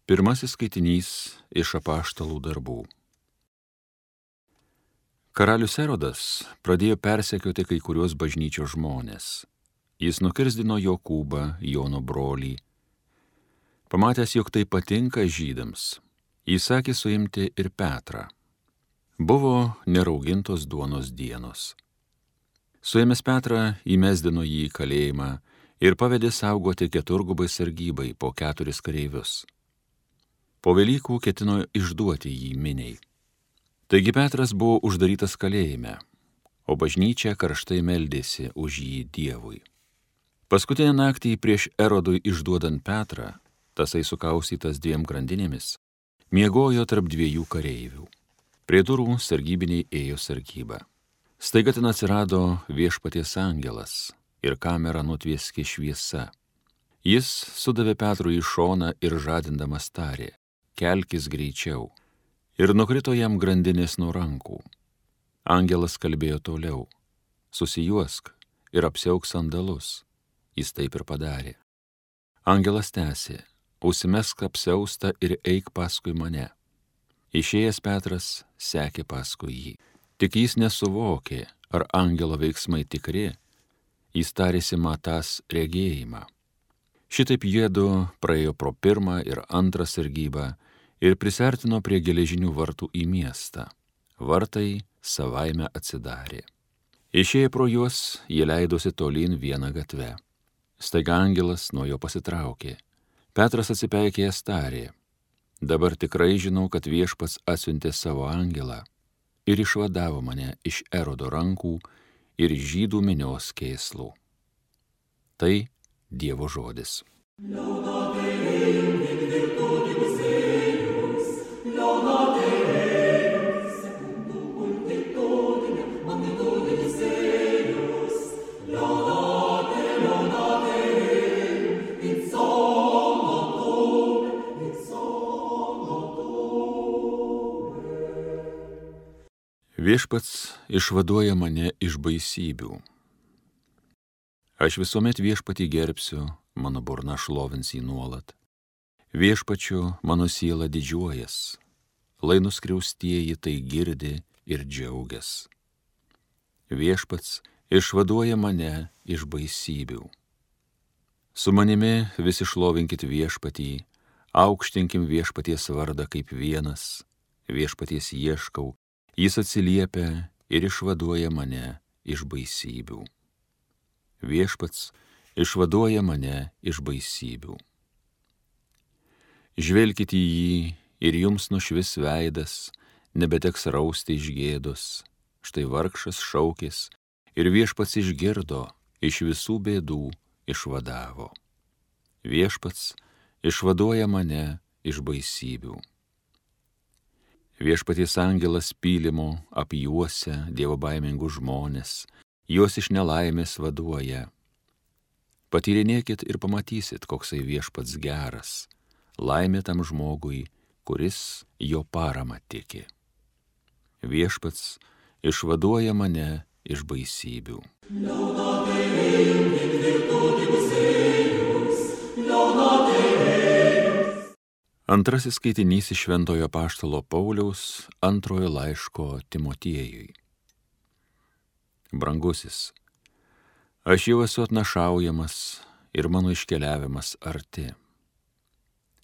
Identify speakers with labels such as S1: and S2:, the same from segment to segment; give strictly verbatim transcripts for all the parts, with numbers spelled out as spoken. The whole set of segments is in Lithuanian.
S1: Pirmasis skaitinys iš apaštalų darbų. Karalius Erodas pradėjo persekioti kai kuriuos bažnyčios žmonės. Jis nukirzdino Jokūbą, Jono brolį. Pamatęs, jog tai patinka žydams, jis sakė suimti ir Petrą. Buvo neraugintos duonos dienos. Suėmęs Petrą, įmesdino jį į kalėjimą ir pavedė saugoti keturgubai sargybai po keturis kareivius. Po Velykų ketino išduoti jį miniai. Taigi Petras buvo uždarytas kalėjime, o bažnyčia karštai meldėsi už jį Dievui. Paskutinę naktį prieš Erodui išduodant Petrą, tasai sukaustytas dviem grandinėmis, miegojo tarp dviejų kareivių. Prie durų sargybiniai ėjo sargybą. Staiga ten atsirado viešpaties angelas ir kamerą nutvieskė šviesa. Jis sudavė Petrui į šoną ir žadindamas tarė: kelkis greičiau. Ir nukrito jam grandinės nuo rankų. Angelas kalbėjo toliau: susijuosk ir apsiauk sandalus. Jis taip ir padarė. Angelas tęsė: užsimesk apsiaustą ir eik paskui mane. Išėjęs Petras sekė paskui jį. Tik jis nesuvokė, ar angelo veiksmai tikri, jis tarėsi matąs regėjimą. Šitaip jiedu praėjo pro pirmą ir antrą sargybą ir prisartino prie geležinių vartų į miestą. Vartai savaime atsidarė. Išėję pro juos, jie leidosi tolyn vieną gatvę. Staiga angelas nuo jo pasitraukė. Petras atsipeikėjęs tarė: dabar tikrai žinau, kad viešpats atsiuntė savo angelą ir išvadavo mane iš Erodo rankų ir žydų minios kėslų. Tai Dievo žodis. Viešpats išvaduoja mane iš baisybių. Aš visuomet viešpatį gerbsiu, mano burna šlovins jį nuolat. Viešpačiu mano siela didžiuojas, lai nuskriaustieji tai girdi ir džiaugias. Viešpats išvaduoja mane iš baisybių. Su manimi visi šlovinkit viešpatį, aukštinkim viešpaties vardą kaip vienas, viešpaties ieškau, jis atsiliepia ir išvaduoja mane iš baisybių. Viešpats išvaduoja mane iš baisybių. Žvelkit į jį ir jums nušvis veidas, nebeteks rausti iš gėdos. Štai vargšas šaukės ir viešpats išgirdo, iš visų bėdų išvadavo. Viešpats išvaduoja mane iš baisybių. Viešpaties angelas pylimo apjuosia dievobaimingus žmonės, juos iš nelaimės vaduoja. Patyrinėkit ir pamatysit, koksai viešpats geras, laimė tam žmogui, kuris jo parama tiki. Viešpats išvaduoja mane iš baisybių. Antrasis skaitinys iš Šventojo apaštalo Pauliaus antrojo laiško Timotiejui. Brangusis, aš jau esu atnašaujamas ir mano iškeliavimas arti.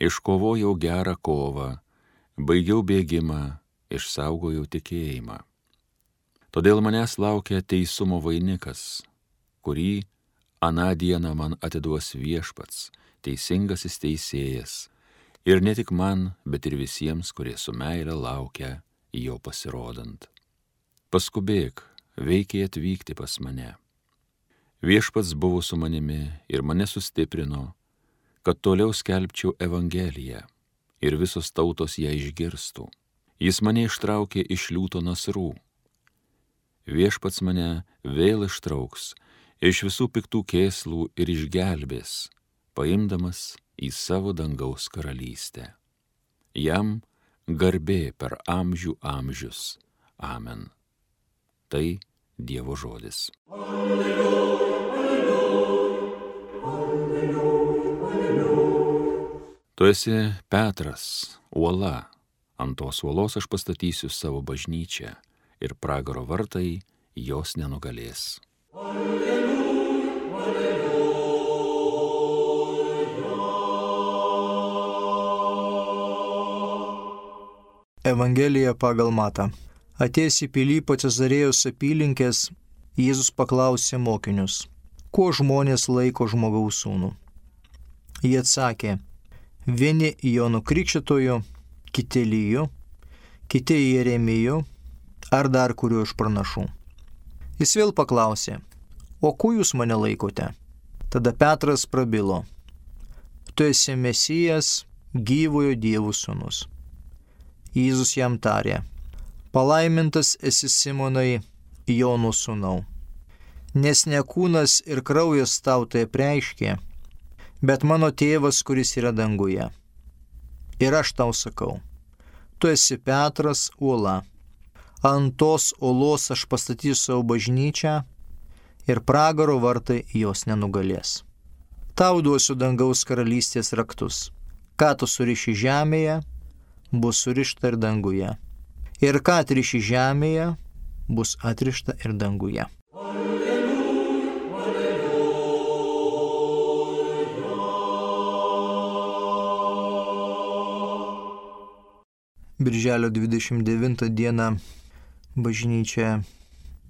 S1: Iškovojau gerą kovą, baigiau bėgimą, išsaugojau tikėjimą. Todėl manęs laukia teisumo vainikas, kurį aną dieną man atiduos viešpats, teisingasis teisėjas, ir ne tik man, bet ir visiems, kurie su meile laukia jo pasirodant. Paskubėk, veikiai atvykti pas mane. Viešpats buvo su manimi ir mane sustiprino, kad toliau skelbčiau Evangeliją ir visos tautos ją išgirstų. Jis mane ištraukė iš liūto nasrų. Viešpats mane vėl ištrauks iš visų piktų kėslų ir išgelbės, paimdamas į savo dangaus karalystę. Jam garbė per amžių amžius. Amen. Tai Dievo žodis. Alleluja, alleluja, alleluja, alleluja. Tu esi Petras, uola. Ant tos uolos aš pastatysiu savo bažnyčią ir pragaro vartai jos nenugalės. Alleluja,
S2: alleluja. Evangelija pagal Matą. Atėjęs į Pilypo Cezarėjos apylinkės, Jėzus paklausė mokinius, kuo žmonės laiko žmogaus sūnų. Jie atsakė, vieni Jonu Krikštytoju, kiti Eliju, kiti Jeremiju ar dar kuriuo iš pranašų. Jis vėl paklausė, o kuo jūs mane laikote? Tada Petras prabilo, tu esi Mesijas, gyvojo Dievo sūnus. Jėzus jam tarė, palaimintas esi Simonai, Jono sūnau, nes ne kūnas ir kraujas tau tai apreiškė, bet mano tėvas, kuris yra danguje. Ir aš tau sakau, tu esi Petras, uola. Ant tos uolos aš pastatysiu savo bažnyčią ir pragaro vartai jos nenugalės. Tau duosiu dangaus karalystės raktus. Ką tu suriši žemėje, bus surišta ir danguje. Ir ką atriši žemėje, bus atrišta ir danguje. Birželio dvidešimt devintą dieną bažnyčia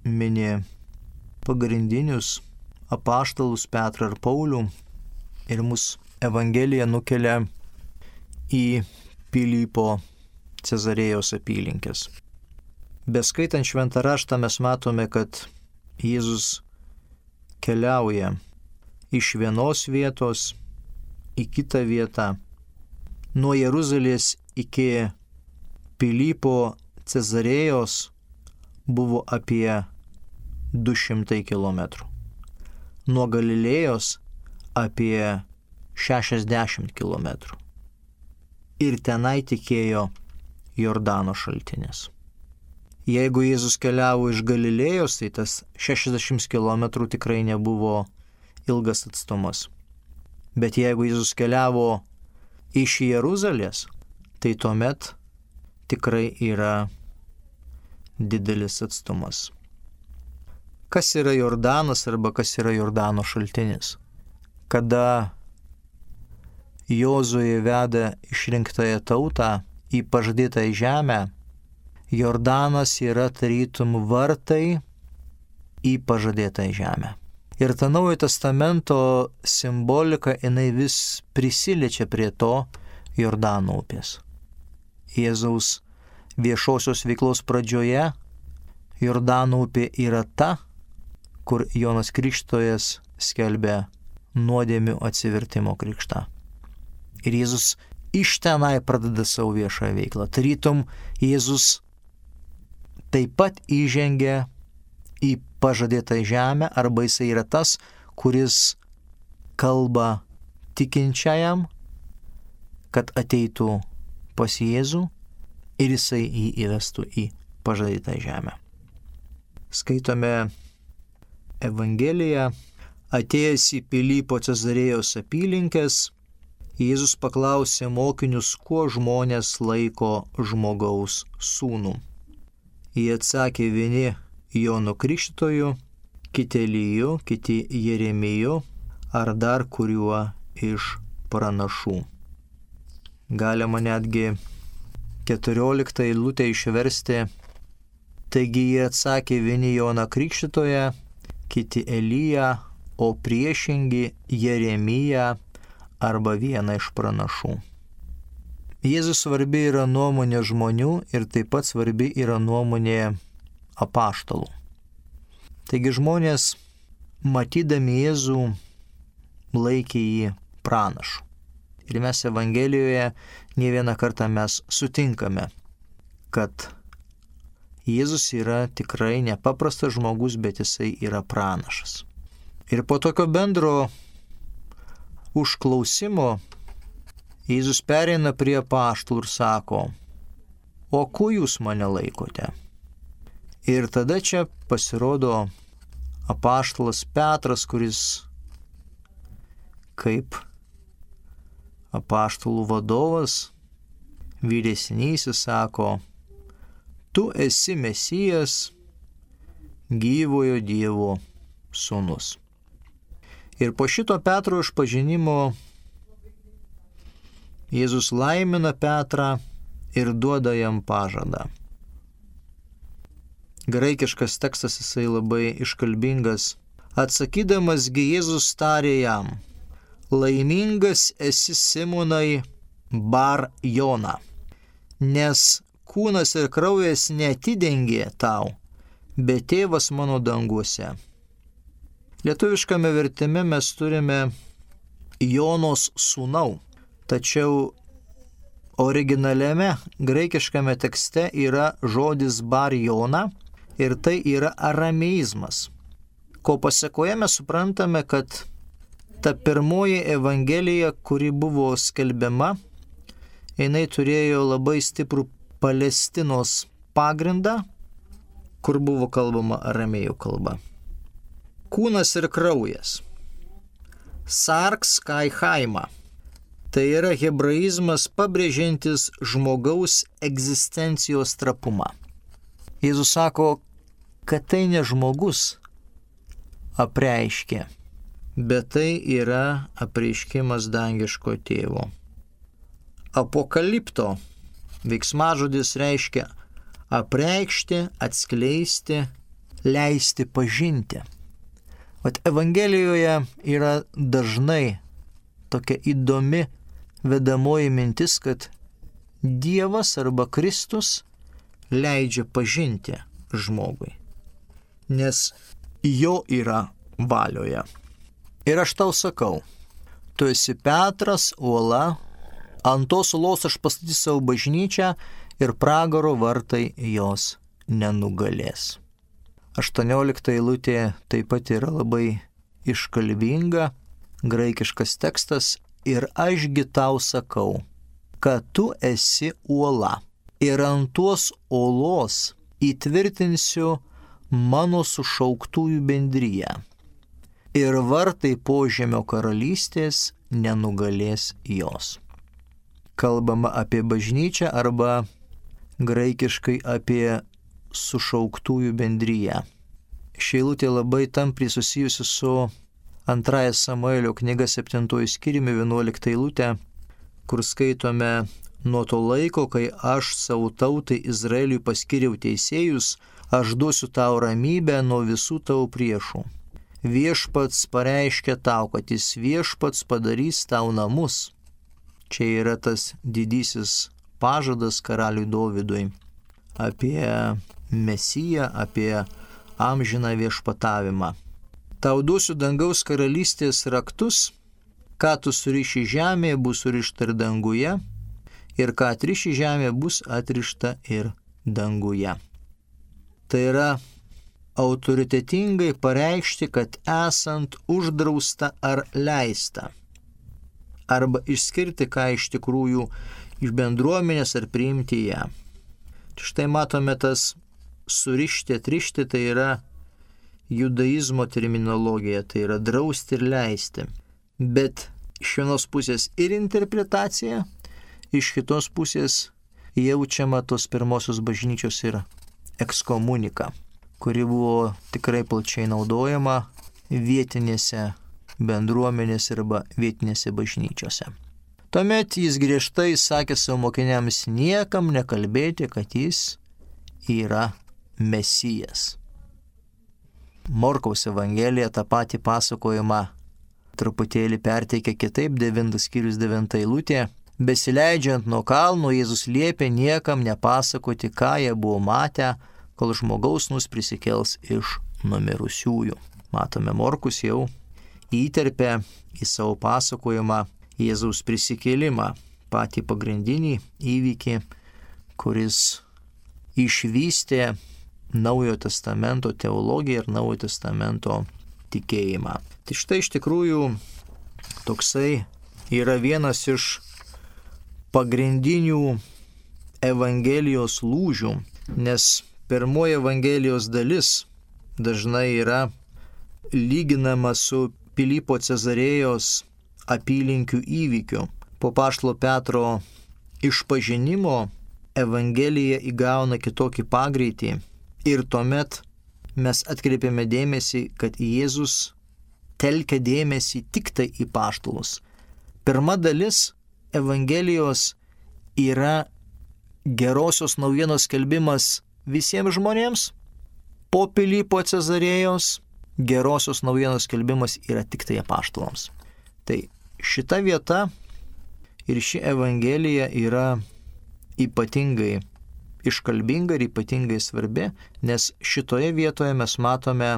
S2: mini pagrindinius apaštalus Petrą ir Paulių ir mus Evangelija nukelia į Pilypo Cezarėjos apylinkės. Beskaitant šventą raštą mes matome, kad Jėzus keliauja iš vienos vietos į kitą vietą, nuo Jeruzalės iki Pilypo Cezarėjos buvo apie du šimtai kilometrų. Nuo Galilėjos apie šešiasdešimt kilometrų. Ir tenai tikėjo Jordano šaltinis. Jeigu Jėzus keliavo iš Galilėjos, tai tas šešiasdešimt kilometrų tikrai nebuvo ilgas atstumas. Bet jeigu Jėzus keliavo iš Jeruzalės, tai tuomet tikrai yra didelis atstumas. Kas yra Jordanas arba kas yra Jordano šaltinis? Kada Jozuė veda išrinktąją tautą į pažadėtąją žemę, Jordanas yra tarytum vartai į pažadėtąją žemę. Ir ta Naujojo Testamento simbolika, jinai vis prisiliečia prie to Jordano upės. Jėzaus viešosios veiklos pradžioje Jordano upė yra ta, kur Jonas Krikštytojas skelbia nuodėmių atsivertimo krikštą. Ir Jėzus iš tenai pradeda savo viešąją veiklą. Tarytum Jėzus taip pat įžengia į pažadėtą žemę, arba jisai yra tas, kuris kalba tikinčiajam, kad ateitų pas Jėzų ir jisai jį įvestų į pažadėtą žemę. Skaitome Evangeliją, atėjęs į Pilypo Cezarėjos apylinkės, Jėzus paklausė mokinius, kuo žmonės laiko žmogaus sūnų. Jie atsakė, vieni Jonu Krikštytoju, kiti Eliju, kiti Jeremiju ar dar kuriuo iš pranašų. Galima netgi keturioliktą eilutę išversti, taigi jie atsakė, vieni Joną Krikštytoją, kiti Eliją, o priešingi Jeremiją arba vieną iš pranašų. Jėzus svarbi yra nuomonė žmonių ir taip pat svarbi yra nuomonė apaštalų. Taigi žmonės, matydami Jėzų, laikė jį pranašu. Ir mes Evangelijoje ne vieną kartą mes sutinkame, kad Jėzus yra tikrai nepaprastas žmogus, bet jisai yra pranašas. Ir po tokio bendro užklausimo Jėzus pereina prie apaštalų ir sako, o kuo jūs mane laikote? Ir tada čia pasirodo apaštalas Petras, kuris kaip apaštalų vadovas, vyresnysis sako, tu esi Mesijas, gyvojo Dievo sūnus. Ir po šito Petro išpažinimo Jėzus laimina Petrą ir duoda jam pažadą. Graikiškas tekstas jisai labai iškalbingas. Atsakydamasgi Jėzus tarė jam, laimingas esi Simonai Bar Jona, nes kūnas ir kraujas neatidengė tau, bet tėvas mano danguose. Lietuviškame vertime mes turime Jonos sūnau, tačiau originaliame graikiškame tekste yra žodis Bar Jona ir tai yra arameizmas. Ko pasekoje mes suprantame, kad ta pirmoji evangelija, kuri buvo skelbiama, jinai turėjo labai stiprų Palestinos pagrindą, kur buvo kalbama aramėjų kalba. Kūnas ir kraujas. Sarks kai chaima. Tai yra hebraizmas pabrėžiantis žmogaus egzistencijos trapumą. Jėzus sako, kad tai ne žmogus apreiškė, bet tai yra apreiškimas dangiško tėvo. Apokalipto veiksmažodis reiškia apreikšti, atskleisti, leisti pažinti. Vat Evangelijoje yra dažnai tokia įdomi vedamoji mintis, kad Dievas arba Kristus leidžia pažinti žmogui, nes jo yra valioje. Ir aš tau sakau, tu esi Petras, uola, ant tos uolos aš pastatysiu savo bažnyčią ir pragaro vartai jos nenugalės. aštuoniolikta eilutė taip pat yra labai iškalbinga, graikiškas tekstas, ir ašgi tau sakau, kad tu esi uola ir ant tos uolos įtvirtinsiu mano sušauktųjų bendriją ir vartai požemio karalystės nenugalės jos. Kalbama apie bažnyčią arba graikiškai apie sušauktųjų bendriją. Ši eilutė labai tampriai susijusi su antrąja Samuelio knyga septintoji skyriumi vienuolikta eilutė, kur skaitome, nuo to laiko, kai aš savo tautai Izraeliui paskiriau teisėjus, aš duosiu tau ramybę nuo visų tavo priešų. Viešpats pareiškia tau, kad jis viešpats padarys tau namus. Čia yra tas didysis pažadas karaliui Dovydui apie Mesiją, apie amžiną viešpatavimą. Tau duosiu dangaus karalystės raktus, ką tu suriši žemėje, bus surišta ir danguje, ir ką atriši žemėje, bus atrišta ir danguje. Tai yra autoritetingai pareikšti, kad esant uždrausta ar leista, arba išskirti, ką iš tikrųjų iš bendruomenės ar priimti ją. Štai matome tas surišti, atrišti, tai yra judaizmo terminologija, tai yra drausti ir leisti. Bet iš vienos pusės ir interpretacija, iš kitos pusės jaučiama tos pirmosios bažnyčios ir ekskomunika, kuri buvo tikrai plačiai naudojama vietinėse bendruomenėse arba vietinėse bažnyčiose. Tuomet jis griežtai sakė savo mokiniams niekam nekalbėti, kad jis yra Mesijas. Morkaus Evangelija tą patį pasakojimą truputėlį perteikia kitaip, devintas skyrius devinta eilutė. Besileidžiant nuo kalno, Jėzus liepė niekam nepasakoti, ką jie buvo matę, kol žmogaus nus prisikels iš numirusiųjų. Matome, Morkus jau įterpė į savo pasakojimą Jėzaus prisikėlimą, patį pagrindinį įvykį, kuris išvystė Naujojo testamento teologiją ir Naujojo testamento tikėjimą. Tai štai iš tikrųjų toksai yra vienas iš pagrindinių Evangelijos lūžių, nes pirmoji Evangelijos dalis dažnai yra lyginama su Pilypo Cezarėjos apylinkių įvykiu. Po apaštalo Petro išpažinimo Evangelija įgauna kitokį pagreitį ir tuomet mes atkreipiame dėmesį, kad Jėzus telkia dėmesį tik tai į apaštalus. Pirma dalis Evangelijos yra gerosios naujienos skelbimas visiems žmonėms, po Pilypo Cezarėjos gerosios naujienos skelbimas yra tik tai apaštalams. Tai šita vieta ir ši Evangelija yra ypatingai iškalbinga ir ypatingai svarbi, nes šitoje vietoje mes matome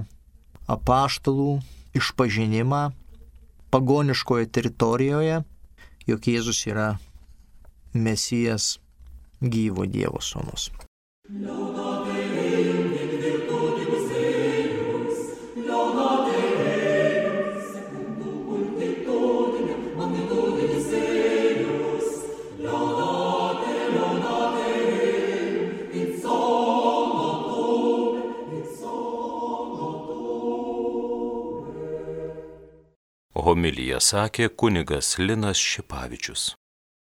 S2: apaštalų išpažinimą pagoniškoje teritorijoje, jog Jėzus yra Mesijas, gyvo Dievo sūnus.
S3: Homiliją sakė kunigas Linas Šipavičius.